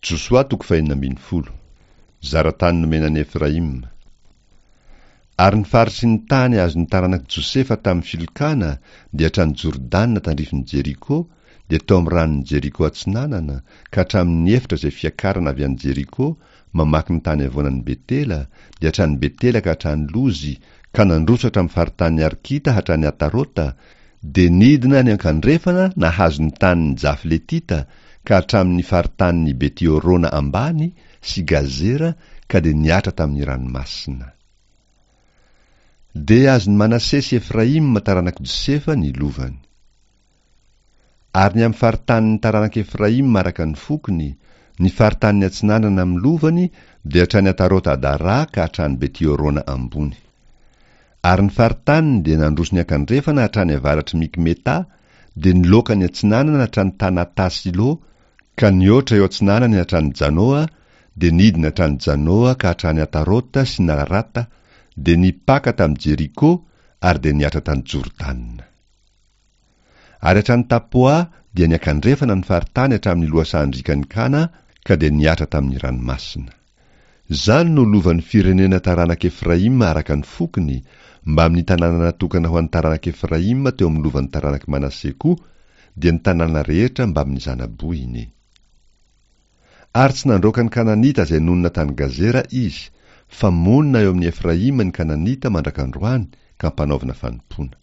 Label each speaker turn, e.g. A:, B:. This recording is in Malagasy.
A: Josoa toko fahenina ambin'ny folo. Zara-tany nomena an'i Efraima. Ary ny faritry ny tany azon'ny taranak'i Josefa tamin'ny filokana dia hatrany Jordana tandrifin'i Jeriko, dia tao amin'ny ranon'i Jeriko atsinanana, ka hatramin'ny efitra izay fiakarana avy any Jeriko, mamaky ny tany havoanan'i Betela, dia hatrany Betela ka hatrany Lozy, ka nandroso hatramin'ny faritanin'i Arkita hatrany Atarota, dia nidina niankandrefana nahazo ny tanin'ny Jafletita ka hatramin'ny faritanin'i Beti-Horona ambany sy Gazera ka dia nihatra tamin'ny ranomasina. Dia azon'i Manase sy Efraima taranak'i Josefa ny lovany. Ary ny amin'ny faritanin'ny taranak'i Efraima araka ny fokony, ny faritanin'ny atsinanana amin'ny lovany dia hatrany Atarota-Adara ka hatrany Beti-Horona ambony. Ary ny faritaniny dia nandroso niankandrefana hatrany avaratr'i Mikmetà, dia niloaka niatsinanana hatrany Tanatà-Silô, ka nihoatra eo atsinanany hatrany Janoa, dia nidina hatrany Janoa ka hatrany Atarota sy Nararata, dia nipaka tamin'i Jeriko ary dia nihatra tany Jordana. Ary hatrany Tapoa dia niankandrefana ny faritany hatramin'ny lohasahan-driakan'i Kana ka dia nihatra tamin'ny ranomasina. Izany no lovan'ny firenena taranak'i Efraima araka ny fokony, mbamin'ny tanàna natokana ho an'ny taranak'i Efraima teo amin'ny lovan'ny taranak'i Manase koa, dia ny tanàna rehetra mbamin'ny zana-bohiny. Ary tsy nandroaka ny Kananita izay nonina tany Gazera izy, fa monina eo amin'i Efraima ny Kananita mandrak'androany ka ampanaovina fanompoana.